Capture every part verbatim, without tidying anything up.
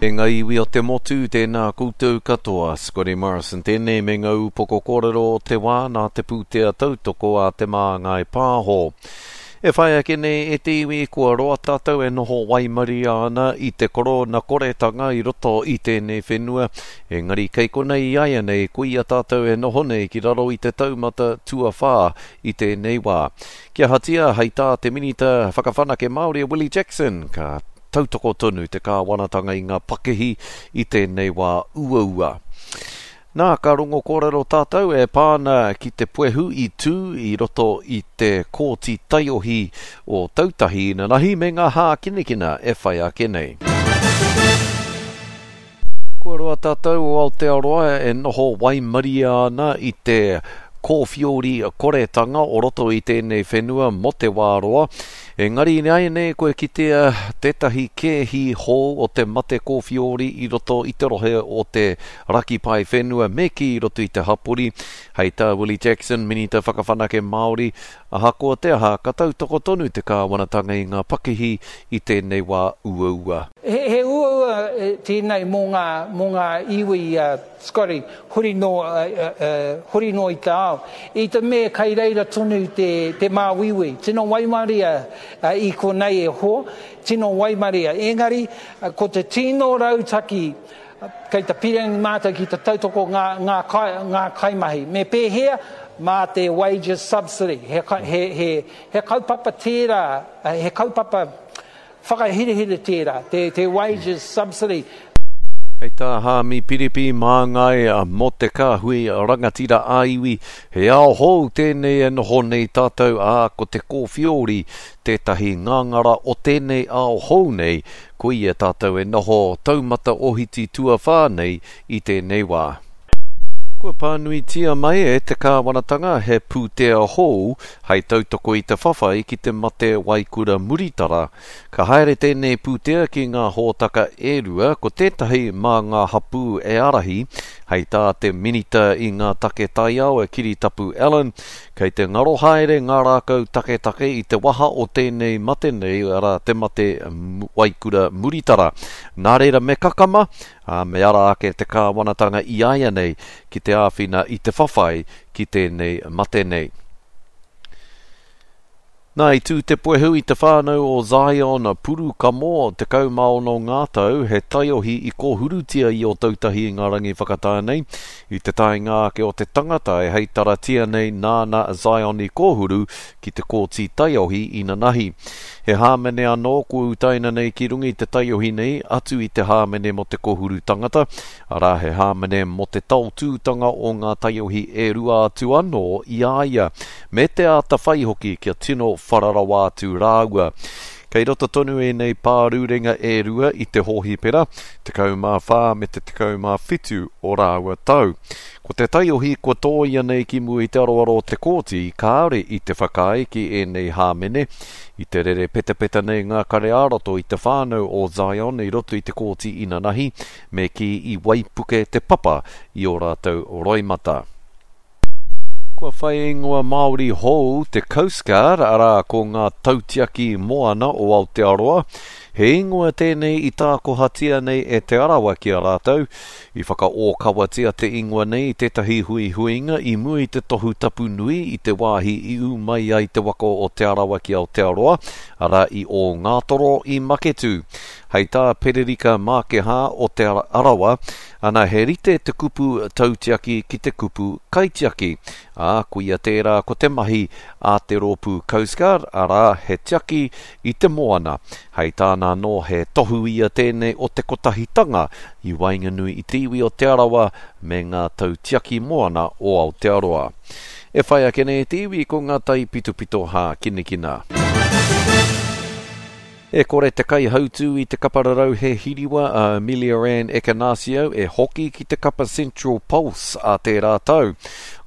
E ngā iwi o te motu, tēnā koutou katoa. Scotty Morrison tēnei me ngā upoko kōrero o te wā nā te pūtea tautoko a Te Māngai Pāho. E whai ake nei e te iwi kua roa tātou e noho waimaria ana i te korona koretanga i roto i tēnei whenua, engari kei konei i āianei koia tātou e noho nei ki raro i te taumata tuawhā i tēnei wā. Kia ahatia, hei tā te Minita Whakawhanake Māori a Willie Jackson, ka tautoko tonu te kāwanatanga i ngā pakihi i tēnei wā uaua. Nā, ka rongo kōrero tātou e pā ana ki te puehu i tū i roto i te kōti taiohi o Tautahi inanahi me ngā hākinakina e whai ake nei. Kua roa tātou o Aotearoa e noho waimaria ana i te kōwhiori koretanga o roto i tēnei whenua mō te wā roa. Engari ināianei kua kitea tētahi kēhi hou o te mate kōwhiori i roto i te rohe o te raki pae whenua me kī i roto i te hapori. Hei tā Willie Jackson, Minita Whakawhanake Māori, ahakoa te aha, ka tautoko tonu te kāwanatanga i ngā pakihi i tēnei wā uaua. He, he uaua tēnei mō ngā, mō ngā iwi, uh, Scotty, huri noa, uh, uh, huri noa i te ao. I te mea kei reira tonu te, te māuiui, tino waimaria uh, i konei e hoa, tino waimaria. Engari, uh, ko te tino rautaki, kei te pīrangi mātou ki te tautoko ngā, ngā, kai, ngā kaimahi. Me pēhea? Mā te wages subsidy. He, he, he, he kaupapa tērā, he kaupapa whakahirahira tērā, te, te wages subsidy. Hei tā Haami Piripi māngai mō te kāhui rangatira ā-iwi, he ao hou tēnei e noho nei tātou, ā, ko te kōwhiori tētahi ngāngara o tēnei ao hou nei, koia tātou e noho taumata ohiti tuawhā nei i tēnei wā. Kua pānuitia mai e te kāwanatanga he pūtea hou hei tautoko i te whawhai ki te mate waikura muritara. Ka haere tēnei pūtea ki ngā hōtaka e rua, ko tētahi mā ngā hapū e ārahi, hei tā te minita i ngā take taiao e Kiritapu Allan, kei te ngaro haere ngā rākau taketake i te waha o tēnei mate nei, arā te mate waikura muritara. Nā reira me kakama, ā, me ara ake te kāwanatanga i āianei ki te āwhina i te whawhai ki tēnei mate nei. Nā, i tū te puehu i te whānau o Zion Purukamo, tekau mā ono ngā tau, he taiohi i kōhurutia i Ōtautahi i ngā rangi whakatā nei, i te taenga ake o te tangata e heitaratia nei nāna Zion i kōhuru ki te kōti taiohi inanahi. He hāmene anō kua utaina nei ki runga i te taiohi nei, atu i te hāmene mō te kōhuru tangata, arā he hāmene mō te taotūtanga o ngā taiohi e rua atu anō i a ia, me te āta whai hoki kia tino whara rawa atu rāua. Kei roto tonu ēnei pārurenga e rua i te hōhipera, tekau mā whā me te tekau mā whitu o rāua tau. Ko te taiohi kua tōia nei ki mua i te aroaro o te kōti, kāore i te whakaae ki ēnei hāmene. I te rere petapeta nei ngā kare ā-roto i te whānau o Zion i roto i te kōti inanahi, me kī i waipuke te papa i ō rātou roimata. Kua whai ingoa Māori hou te Coast Guard, arā ko ngā tautiaki moana o Aotearoa. He ingoa tēnei i tākohatia nei e Te Arawa ki a rātou. I whakaōkawatia te ingoa nei i tētahi huihuinga i mua i te tohu tapu nui i te wāhi i ū mai ai te waka o Te Arawa ki Aotearoa, arā i Ōngātoro i Maketū. Hei tā Pererika Mākehā o Te Arawa, ana he rite te kupu tautiaki ki te kupu kaitiaki. Ā, koia tērā ko te mahi a te rōpū Coast Guard, arā he tiaki i te moana. Hei tāna anō he tohu ia tēnei o te kotahitanga i waenganui i te iwi o Te Arawa me ngā tautiaki moana o Aotearoa. E whai ake nei te iwi ko ngā taipitopito hākinakina. E kore te kaihautū i te kapa rarau he hiriwa a Ameliaranne Ekenasio e hoki ki te kapa Central Pulse a tērā tau.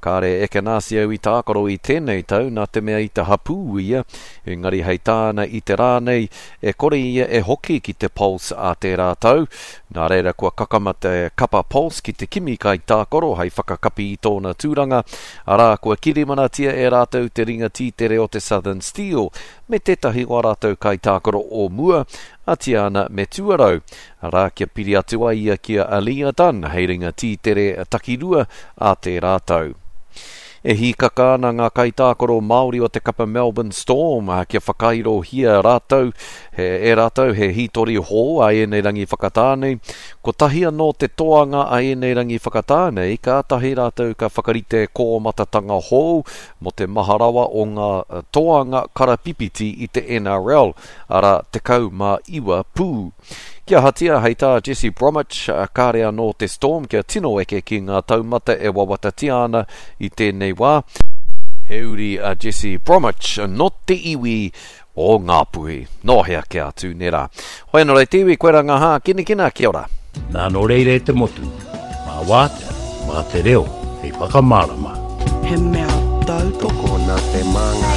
Kāre Ekenasio i tākaro i tēnei tau nā te mea i te hapū ia, engari hei tāna i te rā nei, e kore ia e hoki ki te Pulse a tērā tau. Nā reira kua kakama te kapa Pulse ki te kimi kaitākaro hei whakakapi i tōna tūranga, arā kua kirimanatia e rātou te ringa tītere o te Southern Steel, me tētahi o ā rātou kaitākaro o mua, a Tiana Metuarau. Arā, kia piri atu ai ia ki a Aliyah Dunn hei ringa tītere takirua a tērā tau. E hīkaka ana ngā kaitākaro Māori o te kapa Melbourne Storm kia whakairohia rātou, he, e rātou he hītori hou a ēnei rangi whakatā nei. Kotahi anō te toanga a ēnei rangi whakatā nei, kātahi rātou ka whakarite kōmatatanga hou mō te maha rawa o ngā toanga karapipiti i te N R L, arā tekau mā iwa pū. Kia ahatia hei tā Jesse Bromwich, kāre anō te Storm kia tino eke ki ngā taumata e wawatatia ana i tēnei wā. He uri a Jesse Bromwich no te iwi o Ngāpuhi. Nō hea kia atu, nē rā. Hoi anō rei te iwi, koe rā ngā hā, kinakina, kia ora. Nā nō reira e te motu, mā wātea, mā te reo, hei whakamārama. He mea tautoko nā te māngai.